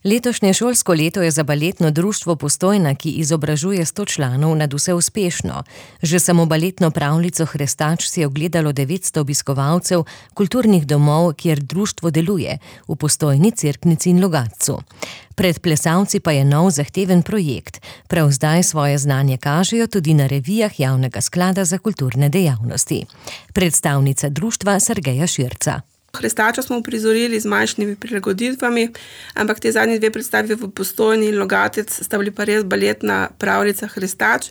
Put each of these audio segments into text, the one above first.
Letošnje šolsko leto je za baletno društvo Postojna, ki izobražuje 100 članov, nadvse uspešno. Že samo baletno pravljico Hrestač si je ogledalo 900 obiskovalcev kulturnih domov, kjer društvo deluje, v Postojni, Cerknici in Logatcu. Pred plesalci pa je nov zahteven projekt. Prav zdaj svoje znanje kažejo tudi na revijah Javnega sklada za kulturne dejavnosti. Predstavnica društva Sergeja Širca. Hrestača smo uprizorili z manjšimi prilagoditvami, ampak te zadnje dve predstavi v Postojni in Logatec sta bili pa res baletna pravljica Hrestač,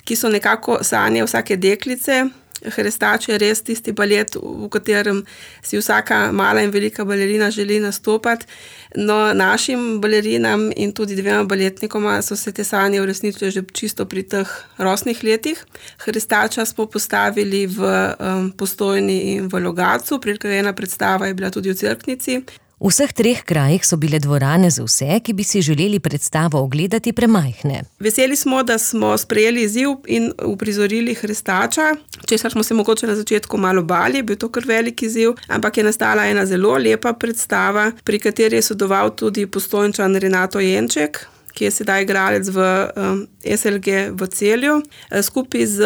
ki so nekako sanje vsake deklice. Hrestač je res tisti balet, v katerem si vsaka mala in velika balerina želi nastopati. No, našim balerinam in tudi dvema baletnikoma so se te sanje uresničile že čisto pri teh rosnih letih. Hrestača smo postavili v Postojni in v Logatcu, priredena predstava je bila tudi v Cerknici. V vseh treh krajih so bile dvorane za vse, ki bi si želeli predstavo ogledati, premajhne. Veseli smo, da smo sprejeli izziv in uprizorili Hrestača, česar smo se mogoče na začetku malo bali, bil to kar velik izziv, ampak je nastala ena zelo lepa predstava, pri kateri je sodeloval tudi Postojnčan Renato Jenček, ki je sedaj igralec v SLG v Celju, skupaj z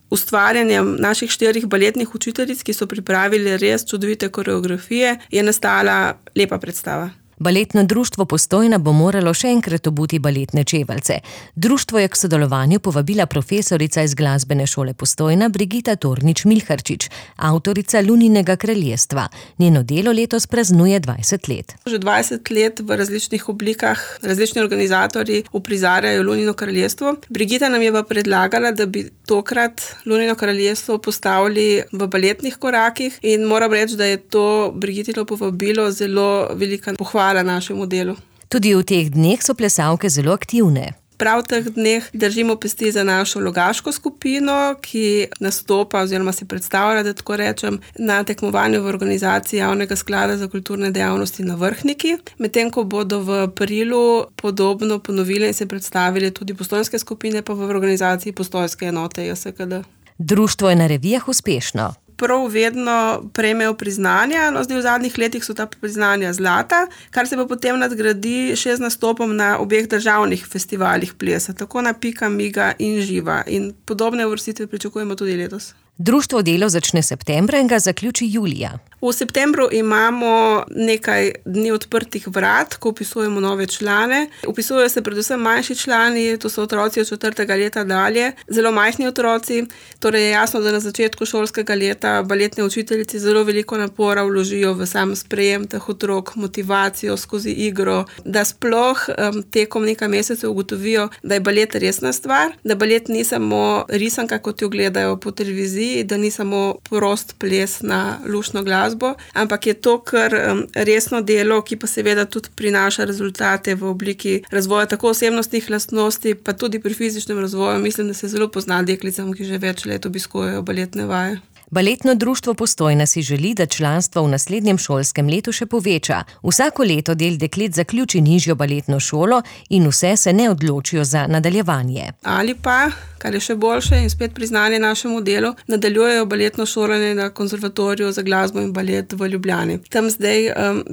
ustvarjanjem naših 4 baletnih učiteljic, ki so pripravili res čudovite koreografije, je nastala lepa predstava. Baletno društvo Postojna bo moralo še enkrat obuti baletne čeveljce. Društvo je k sodelovanju povabila profesorica iz Glasbene šole Postojna Brigita Tornič-Milharčič, avtorica Luninega kraljestva. Njeno delo letos praznuje 20 let. Že 20 let v različnih oblikah različni organizatorji uprizarjajo Lunino kraljestvo. Brigita nam je pa predlagala, da bi tokrat Lunino kraljestvo postavili v baletnih korakih in moram reči, da je to Brigitino povabilo zelo velika pohvala našemu delu. Tudi v teh dneh so plesalke zelo aktivne. Prav v teh dneh držimo pesti za našo logaško skupino, ki nastopa oziroma se predstavlja, da tako rečem, na tekmovanju v organizaciji Javnega sklada za kulturne dejavnosti na Vrhniki. Medtem ko bodo v aprilu podobno ponovili in se predstavili tudi postojnske skupine, pa v organizaciji postojnske enote JSKD. Društvo je na revijah uspešno. Prav vedno prejmejo priznanja, no zdaj v zadnjih letih so ta priznanja zlata, kar se pa potem nadgradi še z nastopom na obeh državnih festivalih plesa, tako na Pika, Miga in Živa. In podobne uvrstitve pričakujemo tudi letos. Društvo delo začne septembra in ga zaključi julija. V septembru imamo nekaj dni odprtih vrat, ko vpisujemo nove člane. Vpisujejo se predvsem manjši člani, to so otroci od 4. leta dalje, zelo majhni otroci. Torej je jasno, da na začetku šolskega leta baletne učiteljice zelo veliko napora vložijo v sam sprejem teh otrok, motivacijo skozi igro, da sploh tekom nekaj mesecev ugotovijo, da je balet resna stvar, da balet ni samo risanka, kot jo gledajo po televiziji, da ni samo prost ples na luštno glasbo, ampak je to kar resno delo, ki pa seveda tudi prinaša rezultate v obliki razvoja tako osebnostnih lastnosti, pa tudi pri fizičnem razvoju. Mislim, da se zelo pozna deklicam, ki že več let obiskujejo baletne vaje. Baletno društvo Postojna si želi, da članstvo v naslednjem šolskem letu še poveča. Vsako leto del deklet zaključi nižjo baletno šolo in vse se ne odločijo za nadaljevanje. Ali pa, kar je še boljše in spet priznanje našemu delu, nadaljujejo baletno šolanje na Konzervatoriju za glasbo in balet v Ljubljani.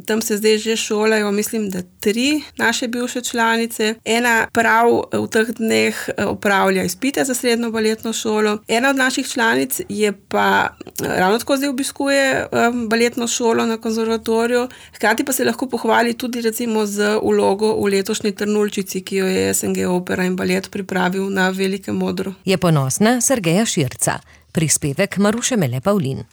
Tam se zdaj že šolajo, mislim, da 3 naše bivše članice. Ena prav v teh dneh opravlja izpite za srednjo baletno šolo. Ena od naših članic je pa ravno tako zdaj obiskuje baletno šolo na konzervatoriju, hkrati pa se lahko pohvali tudi recimo z vlogo v letošnji Trnulčici, ki jo je SNG Opera in balet pripravil na Velikem odru. Je ponosna Sergeja Širca. Prispevek Maruše Mele Pavlin.